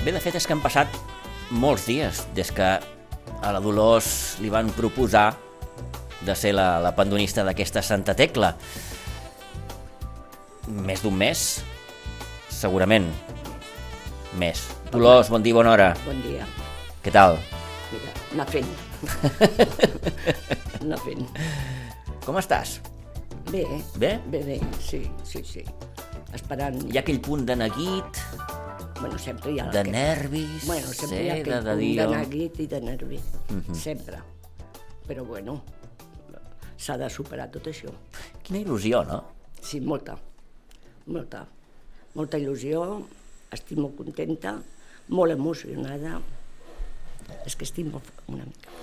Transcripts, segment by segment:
Bé, de fet és que han passat molts dies des que a la Dolors li van proposar de ser la pandonista d'aquesta Santa Tecla. Més d'un mes, segurament. Més. Dolors, bon dia, bona hora. Bon dia. Què tal? Mira, anar fent. Anar fent. Com estàs? Bé. Bé? Bé, sí. Esperant... Hi ha aquell punt de neguit, Bueno, sempre hi ha... de nervis, Bueno, sempre hi ha aquell punt de neguit i de nervi. Sempre. Però bueno, s'ha de superar tot això. Quina il·lusió, no? Sí, molta. Molta il·lusió. Estic molt contenta, molt emocionada. És que estic una mica.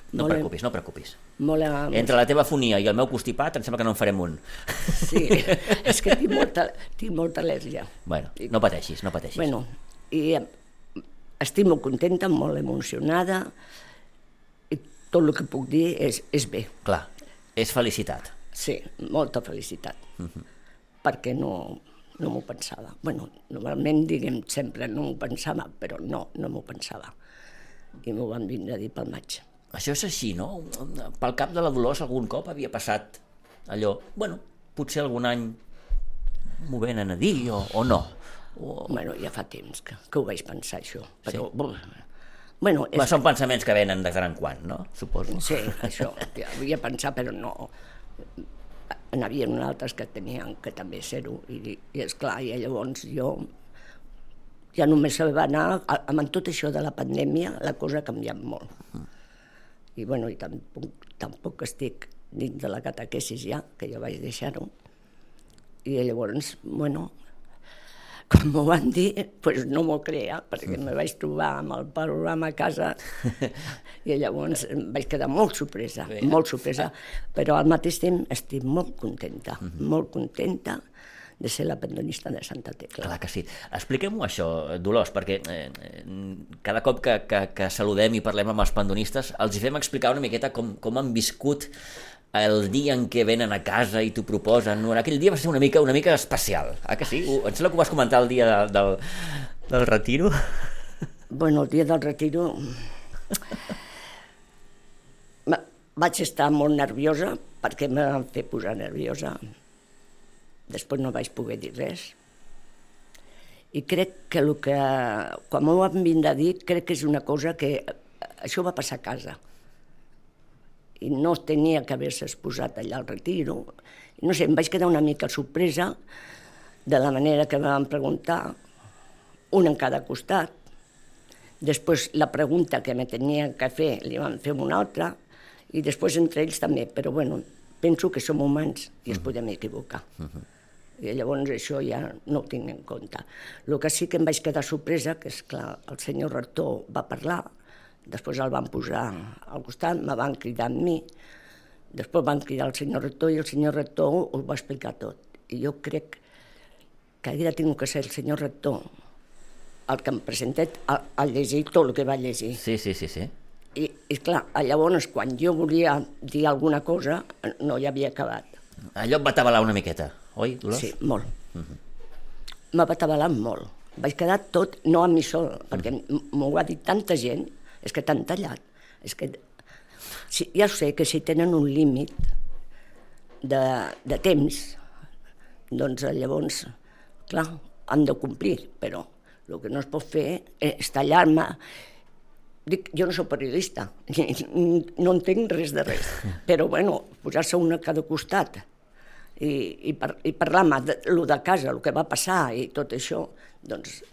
No preocupis. Molt Entre la teva fonia i el meu constipat em sembla que no en farem un. Sí, és que tinc molta al·lèrgia. Bueno, no pateixis. Bueno, i estic molt contenta, molt emocionada, i tot el que puc dir és bé. Clar, és felicitat. Sí, molta felicitat, perquè no m'ho pensava. Bueno, normalment, diguem, sempre no m'ho pensava, però no m'ho pensava. I m'ho van vindre a dir pel maig. Això és així, no? Pel cap de la Dolors algun cop havia passat allò, bueno, potser algun any m'ho venen a dir o no. Bueno, ja fa temps que ho vaig pensar, això, però... Sí? Bueno, Són pensaments que venen de tant en quant, no? Suposo. Sí, això, ja havia pensat, però no. N'hi havia altres que tenien que també ser-ho, i esclar, i llavors jo ja només se va anar, amb tot això de la pandèmia, la cosa ha canviat molt. I bueno, i tampoc estic dins de la catequesis ja, que ja vaig deixar-ho. I llavors, bueno, com m'ho van dir, doncs no m'ho creia, perquè me vaig trobar amb el programa a casa i llavors em vaig quedar molt sorpresa, però al mateix temps estic molt contenta de ser la pandonista de Santa Tecla. Clar que sí. Expliquem-ho això, Dolors, perquè cada cop que saludem i parlem amb els pandonistes els hi fem explicar una miqueta com han viscut el dia en què venen a casa i t'ho proposen. Aquell dia va ser una mica especial, que sí? Em sembla que ho vas comentar el dia del retiro. Bueno, el dia del retiro vaig estar molt nerviosa perquè em van fer posar nerviosa. Després no vaig poder dir res. I crec que quan m'ho van vindre a dir, crec que és una cosa que això va passar a casa. I no tenia que haver-se exposat allà al retiro. No sé, em vaig quedar una mica sorpresa de la manera que em van preguntar, un en cada costat. Després la pregunta que me tenia que fer li van fer una altra, i després entre ells també, però bueno, penso que som humans i es podem equivocar. I llavors això ja no ho tinc en compte. El que sí que em vaig quedar sorpresa, que és clar, el senyor rector va parlar, després el van posar al costat, me van cridar amb mi, després van cridar el senyor rector i el senyor rector ho va explicar tot. I jo crec que havia tingut que ser el senyor rector el que em presentés a llegir tot el que va llegir. Sí. I clar, llavors quan jo volia dir alguna cosa no hi havia acabat. Allò et va atabalar una miqueta, oi, Dolors? Sí, molt. M'ha atabalat molt. Vaig quedar tot, no a mi sol, perquè m'ho ha dit tanta gent, és que t'han tallat. És que ja sé que si tenen un límit de temps, doncs llavors, clar, han de complir, però el que no es pot fer és tallar-me. Dic, jo no soc periodista, no entenc res de res, però bueno, posar-se un a cada costat i parlar-me de casa, el que va passar i tot això, doncs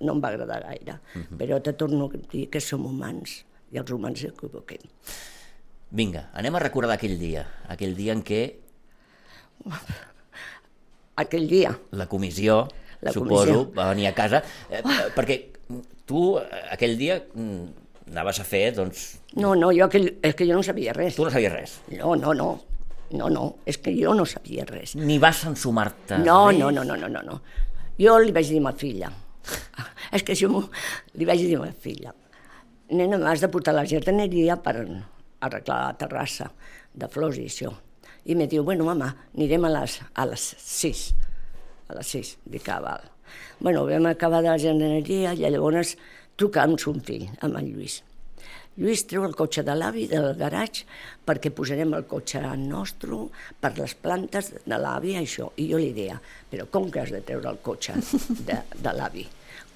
no em va agradar gaire. Però te torno a dir que som humans i els humans s'equivoquem. Vinga, anem a recordar aquell dia en què... Aquell dia. La comissió, suposo, va venir a casa, perquè tu aquell dia anaves a fer, doncs... No, és que jo no sabia res. Tu no sabies res? No, és que jo no sabia res. Ni vas ensumar-te res? No. Jo li vaig dir a ma filla, és que jo li vaig dir a ma filla, nena, m'has de portar la jardineria per arreglar la terrassa de flors i això. I me diu, bueno, mama, anirem a les 6. A les 6, dic, val. Bueno, vam acabar de la jardineria i llavors trucar amb son fill, amb el Lluís. Lluís treu el cotxe de l'avi del garatge perquè posarem el cotxe nostre per les plantes de l'avi, això. I jo li deia, però com que has de treure el cotxe de l'avi?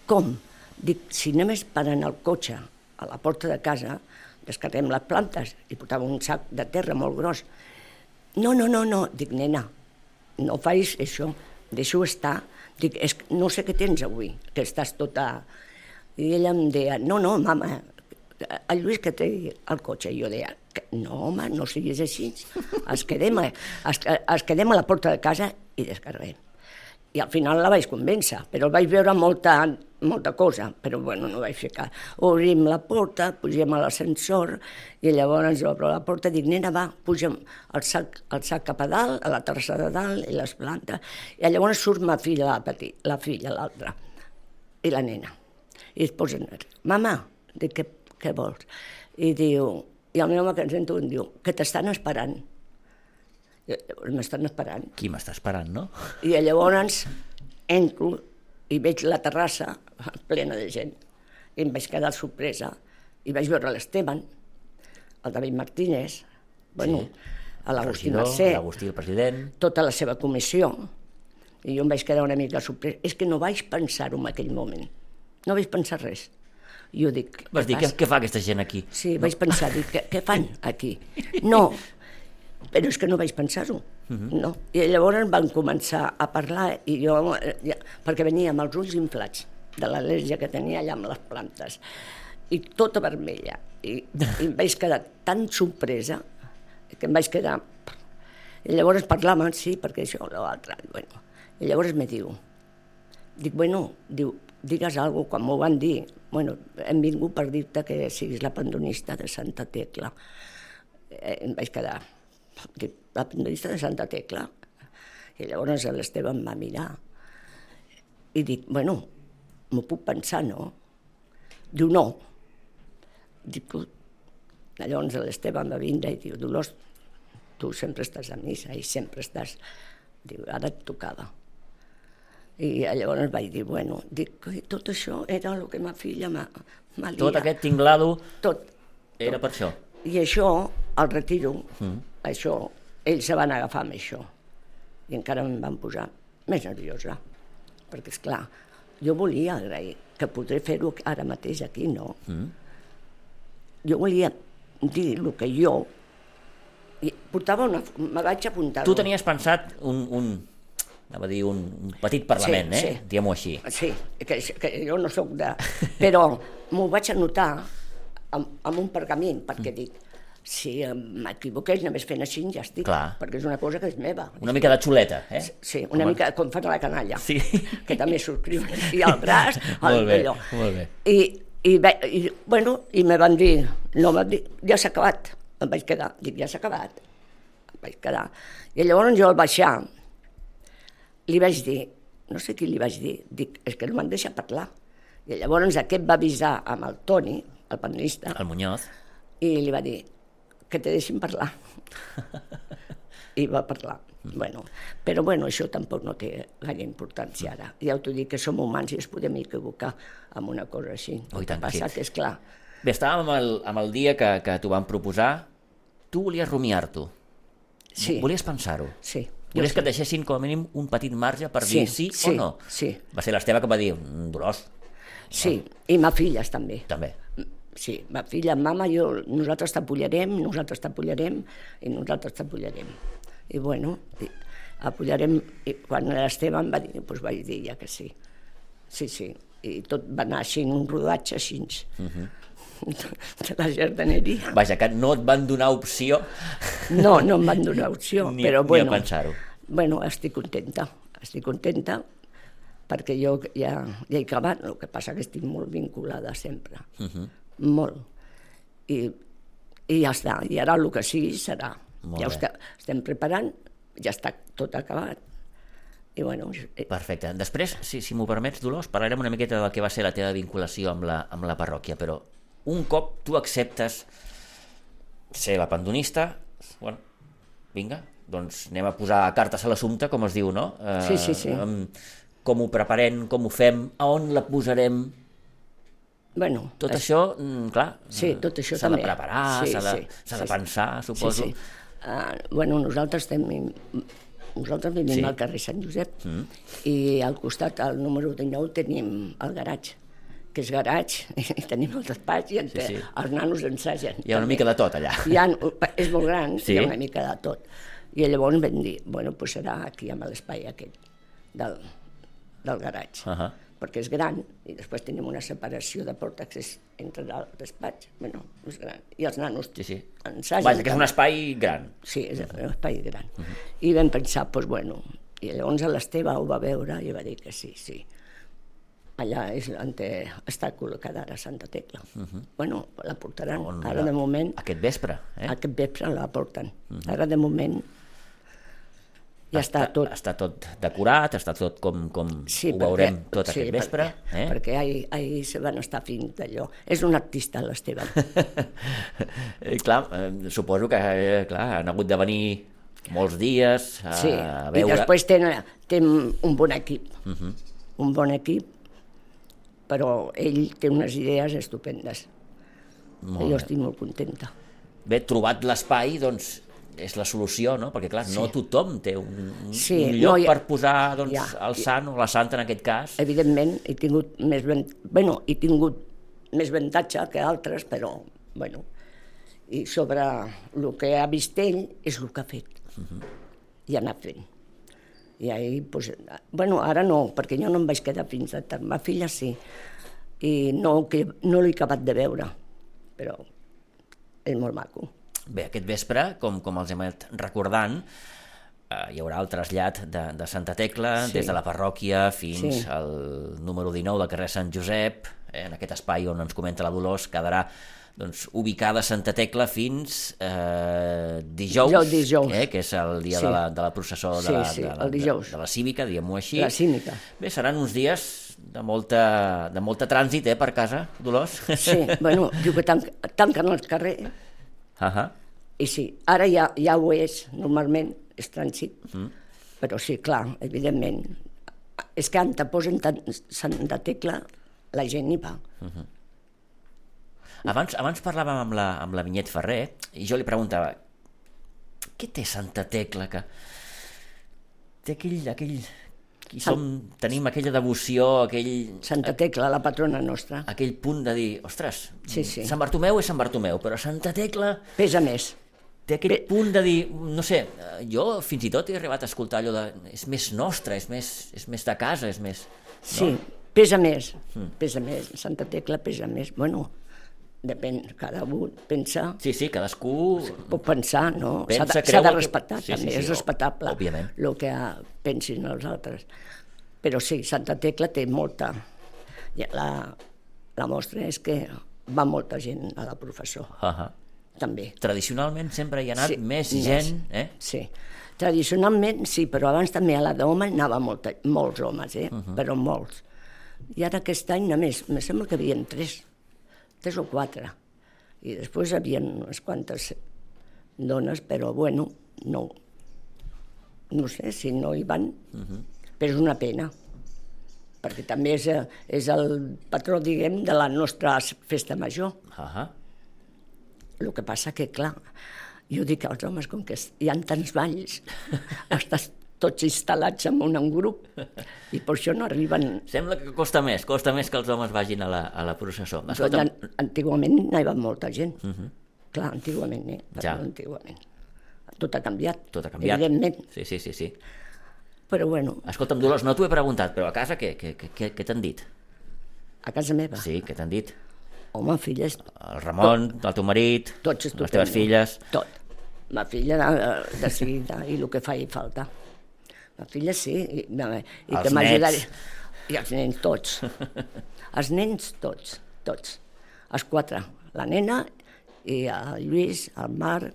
Com? Dic, si només parant el cotxe a la porta de casa, descarreguem les plantes i portava un sac de terra molt gros. No. Dic, nena, no facis això, deixa-ho estar. Dic, no sé què tens avui, que estàs tota... I ella em deia, no, mama, el Lluís que té el cotxe. I jo deia, no, home, no siguis així, es quedem a la porta de casa i descarreguem. I al final la vaig convèncer, però el vaig veure molta cosa, però bueno, no vaig fer cas. Obrim la porta, pugem a l'ascensor i llavors obro la porta i dic, nena, va, pugem el sac cap a dalt, a la terrassa de dalt i les plantes. I llavors surt ma filla, la filla, l'altra, i la nena. I es posen, mama, dic, què vols? I diu, i el meu home que ens sento em diu, que t'estan esperant. M'estan esperant. Qui m'està esperant, no? I llavors entro i veig la terrassa plena de gent. I em vaig quedar sorpresa. I vaig veure l'Esteban, el David Martínez, bueno, l'Agustí Mercè, l'Agustí, el president, tota la seva comissió. I jo em vaig quedar una mica sorpresa. És que no vaig pensar-ho en aquell moment. No vaig pensar res. Jo dic... Vas dir, què fa aquesta gent aquí? Sí, vaig pensar, dic, què fan aquí? No, però és que no vaig pensar-ho. No. I llavors van començar a parlar, i jo, perquè venia amb els ulls inflats de l'al·lèrgia que tenia allà amb les plantes, i tota vermella. I em vaig quedar tan sorpresa que em vaig quedar... I llavors parlaven, sí, perquè això, l'altre. Bueno. I llavors me diu, digues alguna cosa, quan m'ho van dir, bueno, hem vingut per dir-te que siguis la pandonista de Santa Tecla. Em vaig quedar, dic, la pandonista de Santa Tecla? I llavors l'Esteve em va mirar i dic, bueno, m'ho puc pensar, no? Diu, no. Dic, llavors l'Esteve em va vindre i diu, Dolors, tu sempre estàs a missa i sempre estàs... Diu, ara et tocava. I llavors vaig dir, bueno, tot això era el que ma filla m'ha liat. Tot aquest tinglado era per això. I això, al retiro, això, ells se van agafar amb això. I encara em van posar més nerviosa. Perquè, esclar, jo volia agrair, que podré fer-ho ara mateix aquí, no? Jo volia dir el que jo... Me vaig apuntar... Tu tenies pensat un petit parlament, sí. Diguem-ho així. Sí, que jo no soc de... Però m'ho vaig anotar amb un pergament, perquè dic, si m'equivoqués només fent així ja estic, perquè és una cosa que és meva. Una mica de xuleta, eh? Sí, una mica com fan a la canalla, sí. Que també subscriuen. I el braç, allò. Molt bé. I me van dir, no, ja s'ha acabat. Em vaig quedar, dic, ja s'ha acabat. Em vaig quedar. I llavors jo al baixar, li vaig dir, no sé qui li vaig dir, dic, és que no m'han deixat parlar. I llavors aquest va avisar amb el Toni, el panelista, el Muñoz, i li va dir que te deixin parlar. I va parlar. Però això tampoc no té gaire importància ara. Ja t'ho dic, que som humans i es podem equivocar amb una cosa així. El que passa que és clar. Bé, estàvem amb el dia que t'ho van proposar. Tu volies rumiar-t'ho. Sí. Volies pensar-ho. Sí. Volies que et deixessin com a mínim un petit marge per dir sí o no? Sí. Va ser l'Esteve que va dir, Dolors. Sí, i ma filles també. També. Sí, ma filla, mama, nosaltres t'apollarem i nosaltres t'apollarem. I bueno, apollarem. I quan l'Esteve em va dir, doncs vaig dir ja que sí. Sí. I tot va anar així, un rodatge així. De la jardineria. Vaja, que no et van donar opció. No em van donar opció, però bueno. Ni a pensar-ho. Bueno, estic contenta perquè jo ja he acabat, el que passa que estic molt vinculada sempre, molt. I ja està, i ara el que sigui serà. Ja estem preparant, ja està tot acabat. I bueno... Perfecte. Després, si m'ho permets, Dolors, parlarem una miqueta del que va ser la teva vinculació amb la parròquia, però un cop tu acceptes ser la pandonista, bueno, vinga, doncs anem a posar cartes a l'assumpte, com es diu, no? Sí. com ho preparem, com ho fem, a on la posarem... Bueno, Tot això, clar, sí, tot això s'ha de també. preparar, Sí, s'ha de pensar, suposo. Sí, sí. Bueno, nosaltres vivim Sí. al carrer Sant Josep i al costat, al número 19, tenim el garatge, que és garatge, i tenim el despatx i Sí. els nanos ensagen. Hi ha una mica de tot allà. És molt gran, Sí. hi ha una mica de tot. I llavors vam dir, bueno, doncs serà aquí amb l'espai aquest del garatge. Perquè és gran, i després tenim una separació de porta-accés entre el despatx, bueno, és gran, i els nanos ensagen. Vaja, que és un espai gran. Sí, és un espai gran. I vam pensar, doncs bueno, i llavors l'Esteve ho va veure i va dir que sí. Allà és on està col·locada ara Santa Tecla. Bueno, la portaran, ara de moment... Aquest vespre, Aquest vespre la porten. Ara de moment ja està tot... Està tot decorat, està tot com ho veurem tot aquest vespre. Perquè ahir se van estar fent d'allò. És un artista, l'Esteve. Clar, suposo que han hagut de venir molts dies a veure... I després tenen un bon equip. Un bon equip, però ell té unes idees estupendes. Jo estic molt contenta. Bé, trobat l'espai, doncs, és la solució, no? Perquè, clar, no tothom té un lloc per posar el sant o la santa, en aquest cas. Evidentment, he tingut més avantatge que altres, però, bueno, i sobre el que ha vist ell és el que ha fet. I ha anat fent. I ahir, bueno, ara no, perquè jo no em vaig quedar fins a tard. Ma filla sí, i no l'he acabat de veure, però és molt maco. Bé, aquest vespre, com els hem anat recordant, hi haurà el trasllat de Santa Tecla des de la parròquia fins al número 19 del carrer Sant Josep, en aquest espai on ens comenta la Dolors, quedarà ubicada Santa Tecla fins dijous, que és el dia de la processó de la Cívica, diguem-ho així. La Cívica. Bé, seran uns dies de molta trànsit per casa, Dolors? Sí, bueno, diu que tanquen el carrer. I sí, ara ja ho és, normalment és trànsit, però sí, clar, evidentment, és que on te posen Santa Tecla, la gent hi va. Abans parlàvem amb la Vinyet Ferrer i jo li preguntava, què té Santa Tecla que té tenim aquella devoció, Santa Tecla, la patrona nostra. Aquell punt de dir, ostres, sí. Sant Bartomeu és Sant Bartomeu, però Santa Tecla... Pesa més. Té aquell punt de dir, no sé, jo fins i tot he arribat a escoltar allò de... És més nostre, és més de casa, és més... Sí, pesa més, Santa Tecla pesa més. Bueno, depèn, cada un pensa... Sí, cadascú... Pot pensar, no? S'ha de respectar, també, és respectable el que pensin els altres. Però sí, Santa Tecla té molta... La mostra és que va molta gent a la professó, també. Tradicionalment sempre hi ha anat més gent, Sí, tradicionalment sí, però abans també a la d'home anaven molts homes, però molts. I ara aquest any només, me sembla que hi havia 3 o 4, i després hi havia unes quantes dones, però bueno, no sé si no hi van, però és una pena, perquè també és el patró, diguem, de la nostra festa major. El que passa que, clar, jo dic als homes, com que hi ha tants balls, estàs tots instal·lats en un grup, i per això no arriben... Sembla que costa més que els homes vagin a la processó. Antigament hi va molta gent. Clar, antigament, antigament. Tot ha canviat, evidentment. Sí. Però bueno... Escolta'm, Dolors, no t'ho he preguntat, però a casa què t'han dit? A casa meva? Sí, què t'han dit? Home, filles... El Ramon, el teu marit, les teves filles... Tot. Ma filla de seguida, i el que fa i falta. La filla sí, i que m'ajudaré. I els nens tots. Els nens tots. Els 4. La nena, i el Lluís, el Marc,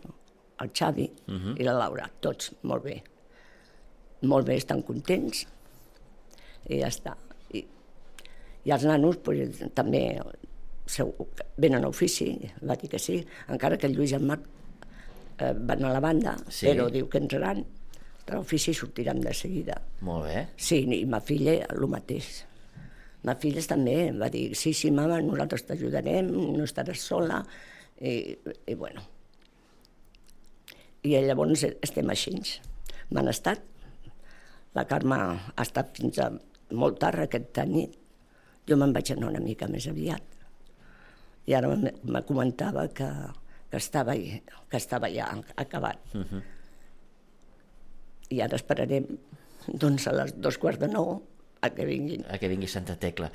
el Xavi i la Laura. Tots, molt bé. Molt bé, estan contents. I ja està. I els nanos també venen a ofici, va dir que sí, encara que el Lluís i el Marc van a la banda, però diu que entraran. de l'ofici sortirem de seguida. Molt bé. Sí, i ma filla el mateix. Ma filla també va dir, sí, mama, nosaltres t'ajudarem, no estaràs sola, i bueno. I llavors estem així. M'han estat. La Carme ha estat fins a molt tard aquesta nit. Jo me'n vaig anar una mica més aviat. I ara me comentava que estava ja acabat. I ara esperarem doncs a les 2:15 a que vinguin. A que vingui Santa Tecla.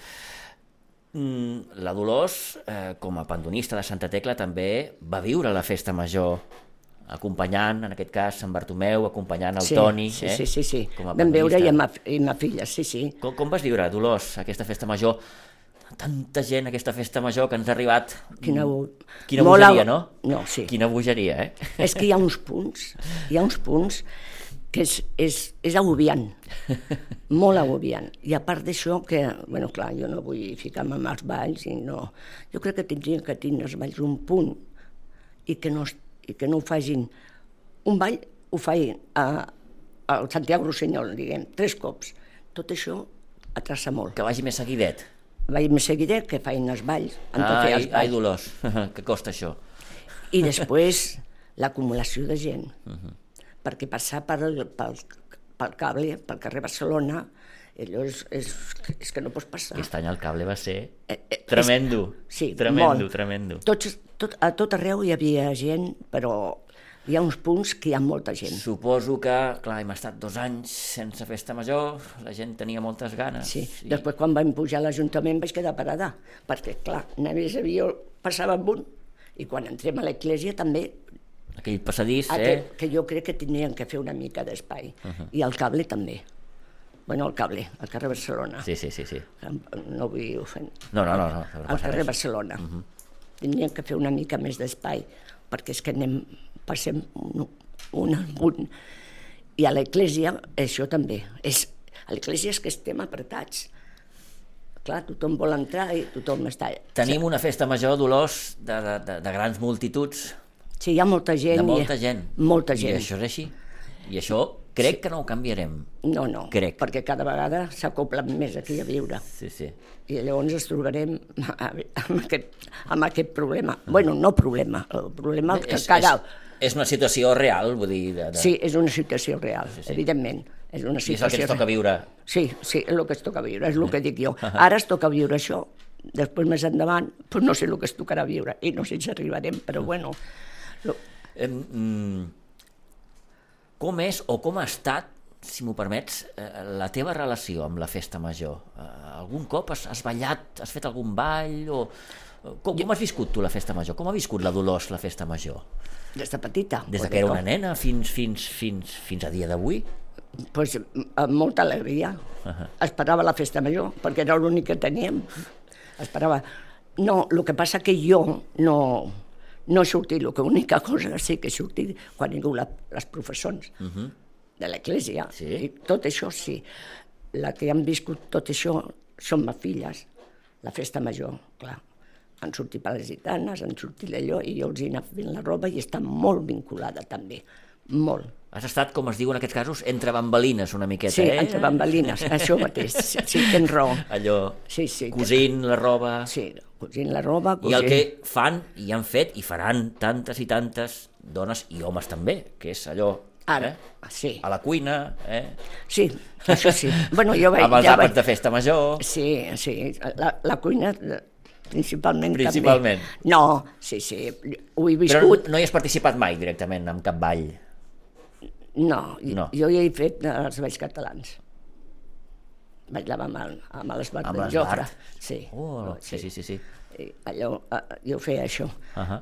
La Dolors, com a pandonista de Santa Tecla, també va viure la festa major acompanyant, en aquest cas, Sant Bartomeu, acompanyant el Toni. Sí. Vam veure i ma filla, sí. Com vas viure, Dolors, aquesta festa major? Tanta gent, aquesta festa major, que ens ha arribat... Quina bogeria, no? No, sí. Quina bogeria, És que hi ha uns punts que és agobiant, molt agobiant. I a part d'això, que, bueno, clar, jo no vull ficar-me amb els balls, jo crec que tindrien que tenir els balls un punt i que no ho facin. Un ball ho facin al Santiago Rossinyol, diguem, 3 cops. Tot això atrassa molt. Que vagi més seguidet. Vagi més seguidet, que facin els balls. Ai, Dolors, que costa això. I després l'acumulació de gent. Perquè passar pel cable, pel carrer Barcelona, allò és que no pots passar. Aquest any el cable va ser tremendo. Sí, tremendo. A tot arreu hi havia gent, però hi ha uns punts que hi ha molta gent. Suposo que, clar, hem estat 2 anys sense festa major, la gent tenia moltes ganes. Sí, després quan vam pujar a l'Ajuntament vaig quedar parada, perquè, clar, només passava amb un, i quan entrem a l'església també... Aquell passadís, Que jo crec que tenien que fer una mica d'espai. I el cable també. Bueno, el cable, al carrer Barcelona. Sí. No vull ofendre. No. Al carrer Barcelona. Tenien que fer una mica més d'espai, perquè és que passem un amunt. I a l'església, això també. A l'església és que estem apretats. Clar, tothom vol entrar i tothom està... Tenim una festa major, Dolors, de grans multituds. Sí, hi ha molta gent. De molta gent. Molta gent. I això és així. I això crec que no ho canviarem. No, perquè cada vegada s'acoplen més aquí a viure. Sí. I llavors ens trobarem amb aquest problema. Bueno, no problema, el problema que cada... És una situació real, vull dir... Sí, és una situació real, evidentment. És una situació... I és el que ens toca viure. Sí, és el que es toca viure, és el que dic jo. Ara es toca viure això, després més endavant, doncs no sé el que es tocarà viure, i no sé si arribarem, però bueno... Com és o com ha estat, si m'ho permets, la teva relació amb la festa major? Algun cop has ballat, has fet algun ball? Com has viscut tu la festa major? Com ha viscut la Dolors la festa major? Des de petita. Des que era una nena fins a dia d'avui? Doncs amb molta alegria. Esperava la festa major, perquè era l'únic que teníem. Esperava. No, el que passa que jo no he sortit, l'única cosa sí que he sortit quan he hagut les professons de l'església, i tot això sí. La que han viscut tot això són mes filles, la festa major, clar. Han sortit per les gitanes, han sortit d'allò, i jo els he anat fent la roba i està molt vinculada també, molt. Has estat, com es diu en aquests casos, entre bambalines una miqueta, Sí, entre bambalines, això mateix, sí, tens raó. Allò, cosint la roba... Sí, cosint la roba... I el que fan, i han fet, i faran tantes i tantes dones i homes també, que és allò... Ara, sí. A la cuina, Sí, això sí. Bueno, jo vaig... Amb els àpats de festa major... Sí, la cuina... Principalment. També. No, sí, ho he viscut. Però no hi has participat mai directament en cap ball? No, jo hi he fet els balls catalans. Ballava amb l'Esbart d'en Jofre. Sí. Sí. Allò, jo feia això.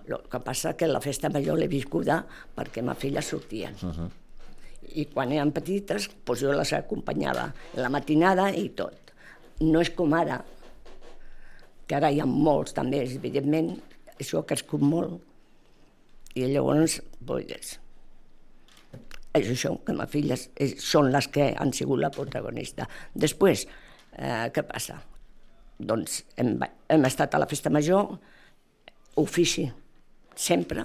El que passa que la festa major l'he viscuda perquè ma filla sortien. I quan eren petites, doncs jo les acompanyava a la matinada i tot. No és com ara, que ara hi ha molts també, evidentment, això ha crescut molt. I llavors, doncs, és això, que les filles són les que han sigut la protagonista. Després, què passa? Doncs hem estat a la festa major, ofici, sempre,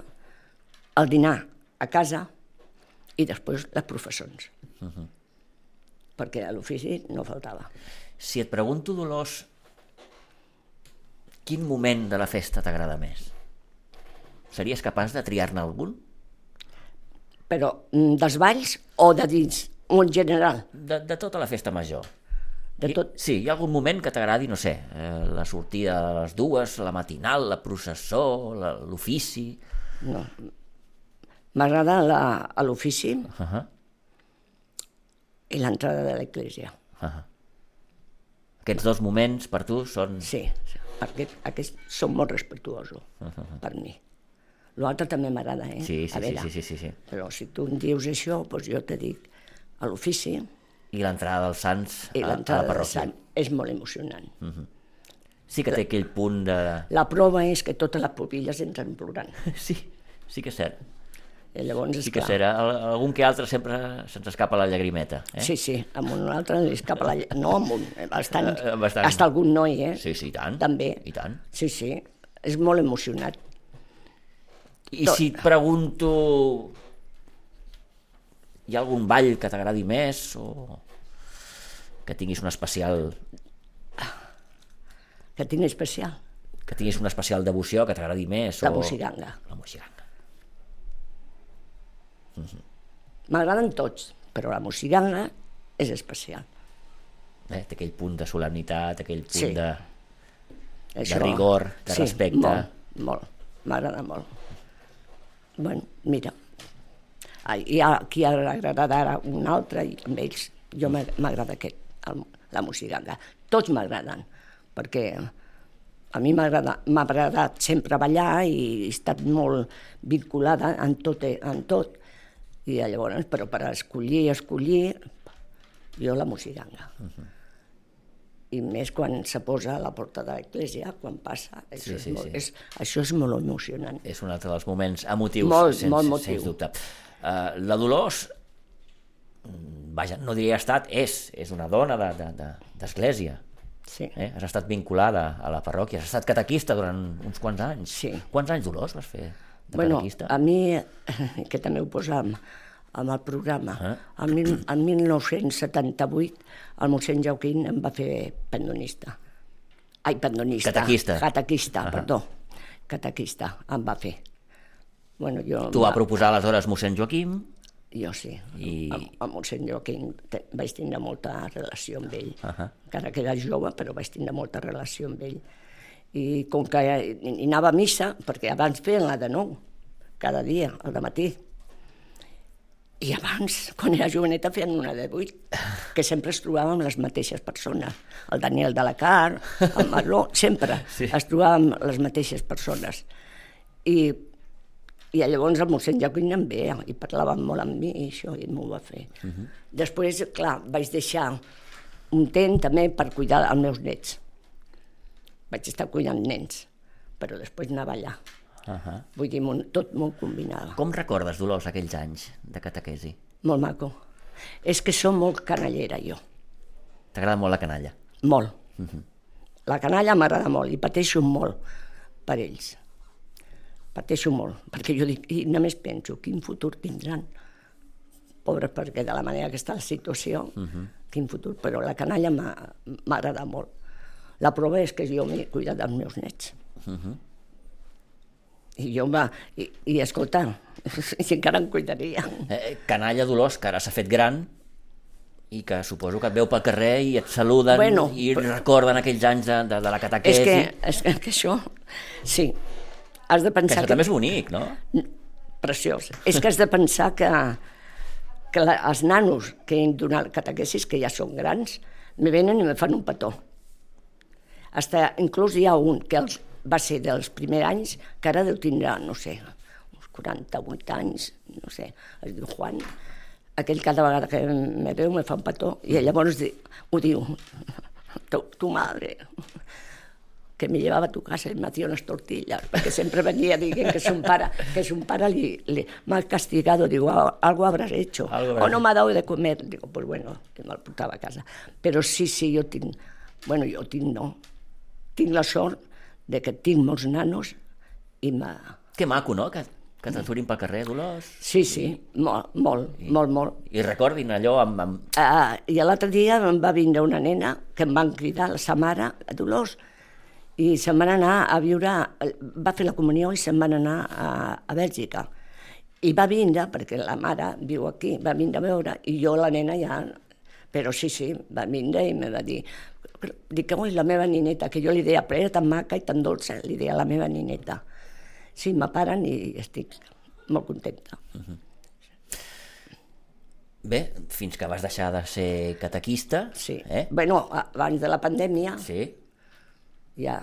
el dinar a casa, i després les professons. Perquè a l'ofici no faltava. Si et pregunto, Dolors, quin moment de la festa t'agrada més? Series capaç de triar-ne algun? Però dels balls o de dins, o en general? De tota la festa major. De tot. Sí, hi ha algun moment que t'agradi, no sé, la sortida a les 2, la matinal, la processó, l'ofici... No. M'agrada a l'ofici i l'entrada de l'església. Aquests dos moments per tu són... Sí, perquè aquests són molt respectuosos per mi. L'altre també m'agrada, Sí. Però si tu em dius això, doncs jo te dic a l'ofici... I l'entrada dels Sants I a la l'entrada dels parròquia. Sants és molt emocionant. Sí que té aquell punt de... La prova és que totes les pupilles entren plorant. Sí que és cert. I llavors, Sí que és cert. Algun que altre sempre se'ns escapa la llagrimeta. Sí, amb un altre li escapa la... No, amb un, bastant. Bastant. Hasta algun noi, Sí, i tant. També. I tant. Sí, és molt emocionat. I si et pregunto... Hi ha algun ball que t'agradi més o que tinguis un especial... Que tinc especial? Que tinguis una especial devoció, que t'agradi més? La moixiganga. La moixiganga. M'agraden tots, però la moixiganga és especial. Té aquell punt de solemnitat, aquell punt de rigor, de respecte. Molt. M'agrada molt. Bueno, mira, hi ha qui agradarà un altre i amb ells jo m'agrada aquest, la moixiganga. Tots m'agraden, perquè a mi m'ha agradat sempre ballar i he estat molt vinculada en tot. I llavors, però per escollir, jo la moixiganga. I més quan se posa a la porta de l'església, quan passa, això és molt emocionant. És un altre dels moments emotius, sens dubte. La Dolors, vaja, no diria estat, és una dona d'església. Sí. Has estat vinculada a la parròquia, has estat catequista durant uns quants anys. Sí. Quants anys, Dolors, vas fer de catequista? A mi, que també ho posam amb el programa, en 1978 el mossèn Joaquín em va fer pendonista. Ai, pendonista. Catequista. Catequista em va fer. Tu va proposar aleshores mossèn Joaquim? Jo sí. Amb mossèn Joaquim vaig tindre molta relació amb ell. Encara que era jove, però vaig tindre molta relació amb ell. I com que hi anava a missa, perquè abans feien la de 9, cada dia, al dematí. I abans, quan era joveneta, feien una de 8, que sempre es trobàvem les mateixes persones. El Daniel de la Car, el Marló, sempre es trobàvem les mateixes persones. I llavors el mossèn Joaquim em veia i parlaven molt amb mi i això, i m'ho va fer. Després, clar, vaig deixar un temps també per cuidar els meus nets. Vaig estar cuidant nens, però després anava allà. Vull dir, tot molt combinat. Com recordes, Dolors, aquells anys de catequesi? Molt maco. És que som molt canallera, jo. T'agrada molt la canalla? Molt. La canalla m'agrada molt i pateixo molt per ells. Pateixo molt, perquè jo dic, i només penso, quin futur tindran? Pobres, perquè de la manera que està la situació, quin futur, però la canalla m'agrada molt. La prova és que jo m'he cuidat dels meus nets. I escolta, si encara em cuidaria. Canalla, Dolors, que ara s'ha fet gran i que suposo que et veu pel carrer i et saluden i recorden aquells anys de la catequesi. És que això, sí, has de pensar que... Això també és bonic, no? Preciós. És que has de pensar que els nanos que han donat catequesis, que ja són grans, me venen i me fan un petó. Inclús hi ha un que va ser dels primers anys, que ara deu tindre, no sé, uns 48 anys, no sé, es diu Juan. Aquell cada vegada que me veu me fa un petó i llavors ho diu, tu madre, que me llevava a tu casa y me hacía unas tortillas, perquè sempre venia dient que son pare m'ha castigado, digo, algo habrás hecho, o no m'ha dado de comer, digo, pues bueno, que me'l portava a casa. Però sí, jo tinc, tinc la sort de que tinc molts nanos i Que maco, no? Que que t'aturin pel carrer, Dolors? Sí, molt. I recordin allò amb... I l'altre dia em va vindre una nena que em van cridar la sa mare, Dolors, i se'n van anar a viure, va fer la comunió i se'n van anar a Bèlgica. I va vindre, perquè la mare viu aquí, va vindre a veure, i jo la nena ja... Però sí, va vindre i me va dir... Dic, oi, la meva nineta, que jo li deia, però era tan maca i tan dolça, li deia la meva nineta. Sí, m'aparen i estic molt contenta. Bé, fins que vas deixar de ser catequista. Sí. Bueno, abans de la pandèmia... Sí. Ja...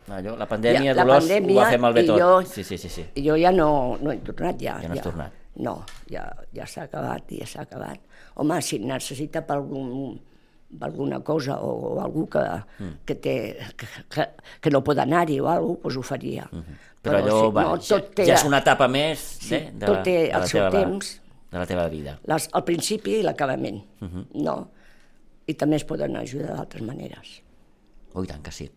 Allò, la pandèmia, Dolors, ho va fer malbé tot. Sí. Jo ja no he tornat, ja. Ja no has tornat. No, ja s'ha acabat, Home, si necessita per alguna cosa o algú que no pot anar-hi o alguna cosa, doncs ho faria. Però allò ja és una etapa més tot té el seu temps, de la teva vida. El principi i l'acabament. No? I també es poden ajudar d'altres maneres. Oh, i tant que sí.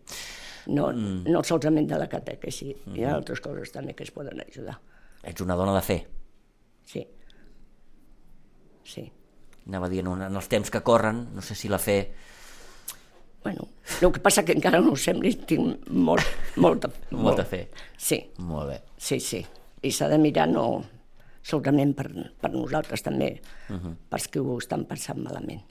No solament de la catequesi, hi ha altres coses també que es poden ajudar. Ets una dona de fe. Sí. Anava dient, en els temps que corren, no sé si la fe... Bueno, el que passa que encara no ho sembli, tinc molta fe. Sí. Molt bé. Sí. I s'ha de mirar no solament per nosaltres també, pels que ho estan passant malament.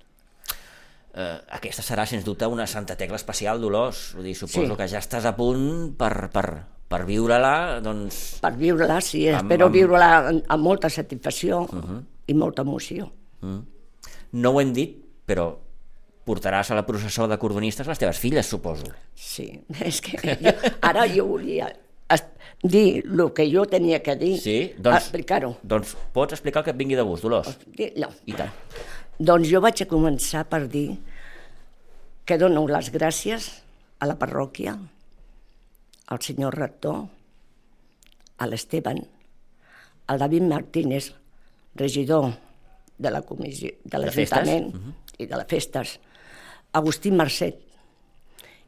Aquesta serà, sens dubte, una Santa Tecla especial, Dolors. Suposo que ja estàs a punt per viure-la, doncs... Per viure-la, sí. Espero viure-la amb molta satisfacció i molta emoció. No ho hem dit, però portaràs a la processó de cordonistes les teves filles, suposo. Sí, és que ara jo volia dir el que jo tenia que dir, explicar-ho. Doncs pots explicar el que et vingui de gust, Dolors? No. I tant. Doncs jo vaig a començar per dir que dono les gràcies a la parròquia, al senyor rector, a l'Esteban, al David Martínez, regidor de la comissió de l'Ajuntament i de les festes, Agustí Marcet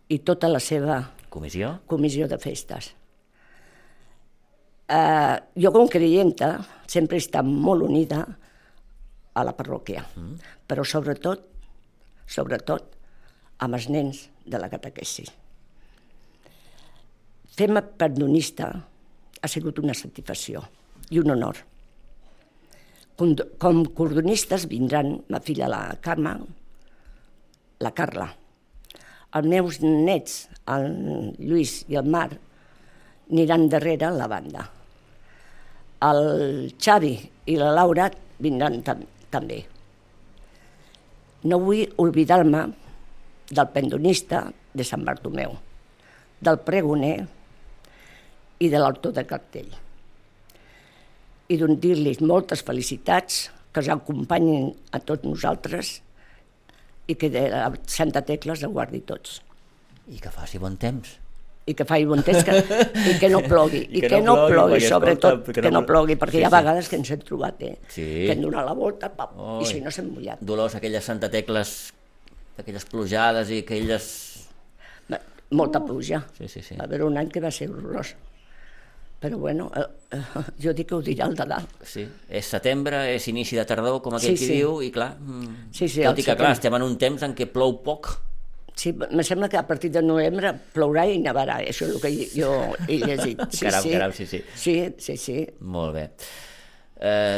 i tota la seva comissió de festes. Jo com creienta sempre he estat molt unida a la parròquia, però sobretot amb els nens de la catequesi. Fer-me perdonista ha sigut una satisfacció i un honor. Com cordonistes vindran ma filla la Carme, la Carla, els meus nets, el Lluís i el Marc, aniran darrere la banda. El Xavi i la Laura vindran també. No vull oblidar-me del pendonista de Sant Bartomeu, del pregoner i de l'autor de cartell. I dir-los moltes felicitats, que els acompanyin a tots nosaltres i que de la Santa Tecla els guardi tots. I que faci bon temps. I que faci bon temps i que no plogui. I que no plogui, sobretot, que no plogui, perquè hi ha vegades que ens hem trobat, que hem donat la volta i si no s'hem mullat. Dolors, aquelles Santa Tecles, aquelles plujades i aquelles... Molta pluja. Sí. Va haver un any que va ser horrorós. Però bueno, jo dic que ho dirà el de dalt. Sí, és setembre, és inici de tardor, com aquell qui diu, i clar, tot i que clar, estem en un temps en què plou poc. Sí, em sembla que a partir de novembre plourà i nevarà, això és el que jo he llegit. Caram, sí. Sí. Molt bé.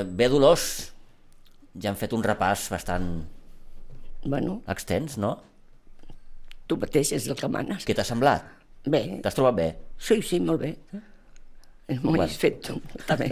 Bé, Dolors, ja hem fet un repàs bastant extens, no? Tu mateix és el que manes. Què t'ha semblat? Bé. T'has trobat bé? Sí, molt bé. M'ho has fet tu, també.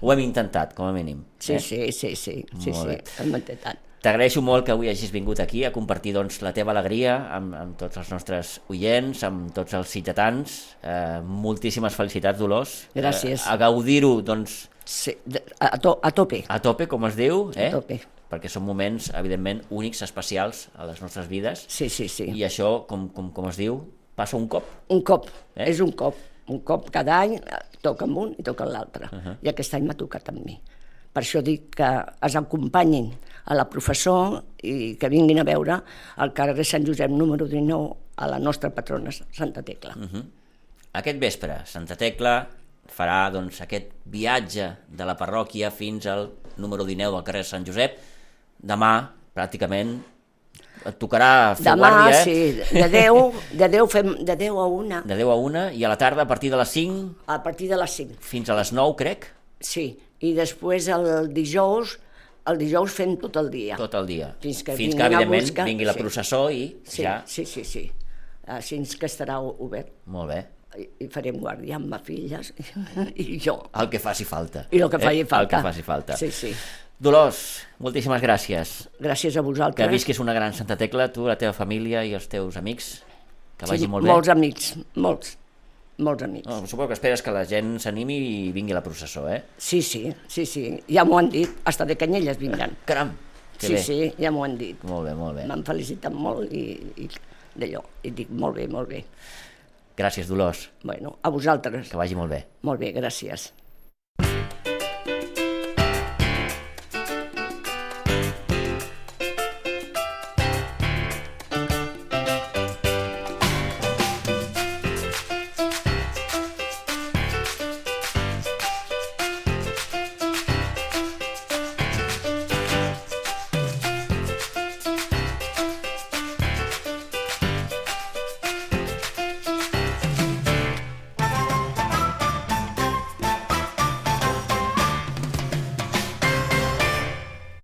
Ho hem intentat, com a mínim. Sí, hem intentat. T'agraeixo molt que avui hagis vingut aquí a compartir la teva alegria amb tots els nostres oients, amb tots els sitgetans. Moltíssimes felicitats, Dolors. Gràcies. A gaudir-ho, doncs... Sí, a tope. A tope, com es diu. A tope. Perquè són moments, evidentment, únics, especials a les nostres vides. Sí. I això, com es diu, passa un cop. Un cop, és un cop. Un cop cada any toca amb un i toca amb l'altre. I aquest any m'ha tocat amb mi. Per això dic que es acompanyin a la professor i que vinguin a veure al carrer Sant Josep número 19 a la nostra patrona Santa Tecla. Aquest vespre, Santa Tecla, farà doncs, aquest viatge de la parròquia fins al número 19 del carrer Sant Josep. Demà, pràcticament, et tocarà fer Demà, guàrdia, sí, de 10 fem de 10 a 1. De 10 a 1, i a la tarda, a partir de les 5... A partir de les 5. Fins a les 9, crec? Sí, i després el dijous fem tot el dia. Tot el dia. Fins que evidentment, vingui la processó i ja... Sí. Així que estarà obert. Molt bé. I farem guàrdia amb les filles i jo. El que faci falta. I el que faci falta. El que faci falta. Sí. Dolors, moltíssimes gràcies. Gràcies a vosaltres. Que visquis una gran Santa Tecla, tu, la teva família i els teus amics. Que vagi molt bé. Molts amics, molts amics. No, suposo que esperes que la gent s'animi i vingui a la processó, eh? Sí, ja m'ho han dit, hasta de Canyelles vindran. Caram, que bé. Sí, ja m'ho han dit. Molt bé. M'han felicitat molt i d'allò, i dic molt bé. Gràcies, Dolors. Bueno, a vosaltres. Que vagi molt bé. Molt bé, gràcies.